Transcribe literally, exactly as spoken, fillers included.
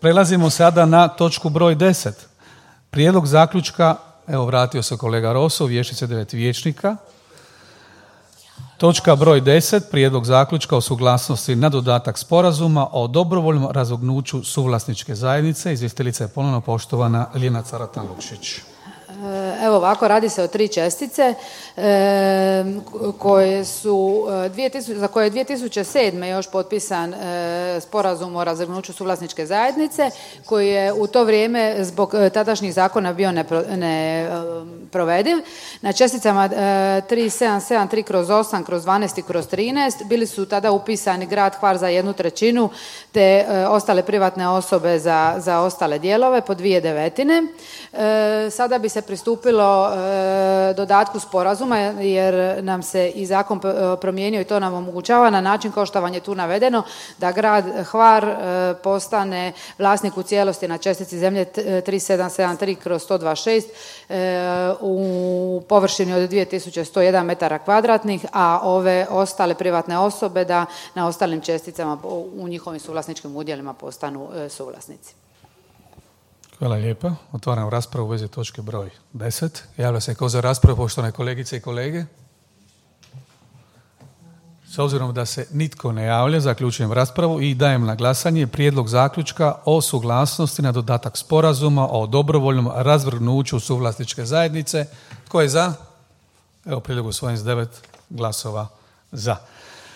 Prelazimo sada na točku broj deset. Prijedlog zaključka, evo vratio se kolega Rosso, vještice devet vijećnika. Točka broj deset. Prijedlog zaključka o suglasnosti na dodatak sporazuma o dobrovoljnom razvrgnuću suvlasničke zajednice. Izvjestiteljica je ponovno poštovana Ljiljana Caratan-Lučić. Evo ovako, radi se o tri čestice e, koje su, dvije tisuće, za koje je dvije tisuće sedme još potpisan e, sporazum o razvrgnuću suvlasničke zajednice, koji je u to vrijeme zbog tadašnjih zakona bio neprovediv. Ne, Na česticama e, tri sedam sedam tri kroz osam kroz dvanaest i kroz trinaest bili su tada upisani grad Hvar za jednu trećinu te e, ostale privatne osobe za, za ostale dijelove po dvije devetine. E, sada bi se pristupilo e, dodatku sporazuma jer nam se i zakon promijenio i to nam omogućava na način kao što vam je tu navedeno da grad Hvar e, postane vlasnik u cijelosti na čestici zemlje tri sedam sedam tri kroz sto dvadeset šest e, u površini od dvije tisuće sto jedan metara kvadratnih, a ove ostale privatne osobe da na ostalim česticama u njihovim suvlasničkim udjelima postanu e, suvlasnici. Hvala lijepa. Otvaram raspravu u vezi točke broj deset. Javlja se ko za raspravu, poštovane kolegice i kolege. S obzirom da se nitko ne javlja, zaključujem raspravu i dajem na glasanje prijedlog zaključka o suglasnosti na dodatak sporazuma o dobrovoljnom razvrgnuću suvlasničke zajednice. Tko je za? Evo prijedlog usvojen s devet glasova za.